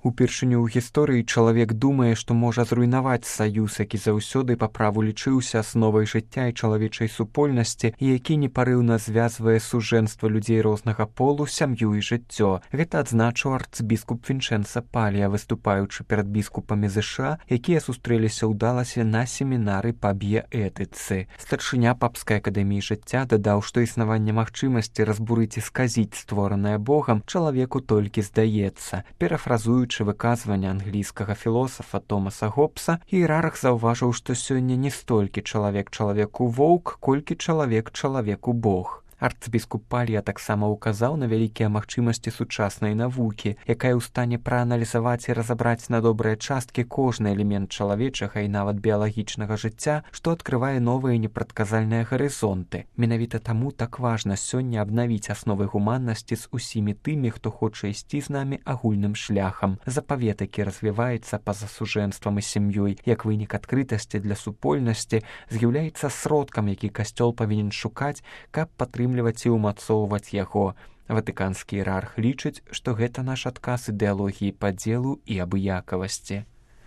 Упершыню ў гісторыі чалавек думае, што можа зруйнаваць саюз, які заўсёды па праву лічыўся асновай жыцця і чалавечай супольнасці, і які непарыўна звязвае сужэнства людзей рознага полу, сям'ю і жыццё. Гэта адзначыў арцбіскуп Вінчэнца Палія, выступаючы перад біскупамі ЗША, якія сустрэліся ў Даласе на семінары па біяэтыцы. Старшыня Папскай акадэміі жыцця дадаў, што існаванне магчымасці разбурыць і сказіць створанае Богам чалавеку толькі здаецца. Перафразуючы выказванне англійскага філосафа Томаса Гоббса, іерарх заўважыў, што сёння не столькі чалавек чалавеку воўк, колькі чалавек чалавеку Бог. Арцбіскуп Палія таксама ўказаў на вялікія магчымасці сучаснай навукі, якая ў стане прааналізаваць і разабраць на добрыя часткі кожны элемент чалавечага і нават біялагічнага жыцця, што адкрывае новыя непрадказальныя гарызонты. Менавіта таму так важна сёння абнавіць асновы гуманнасці з усімі тымі, хто хоча ісці з намі агульным шляхам. Запавет, які развіваецца па-за сужэнствам і сям'ёй, як вынік адкрытасці для супольнасці, з'яўляецца сродкам, які касцёл павінен шукаць, каб падтрымліваць і ўмацоўваць яго. Ватыканскі іерарх лічыць, што гэта наш адказ ідэалогіі падзелу і абыякавасці.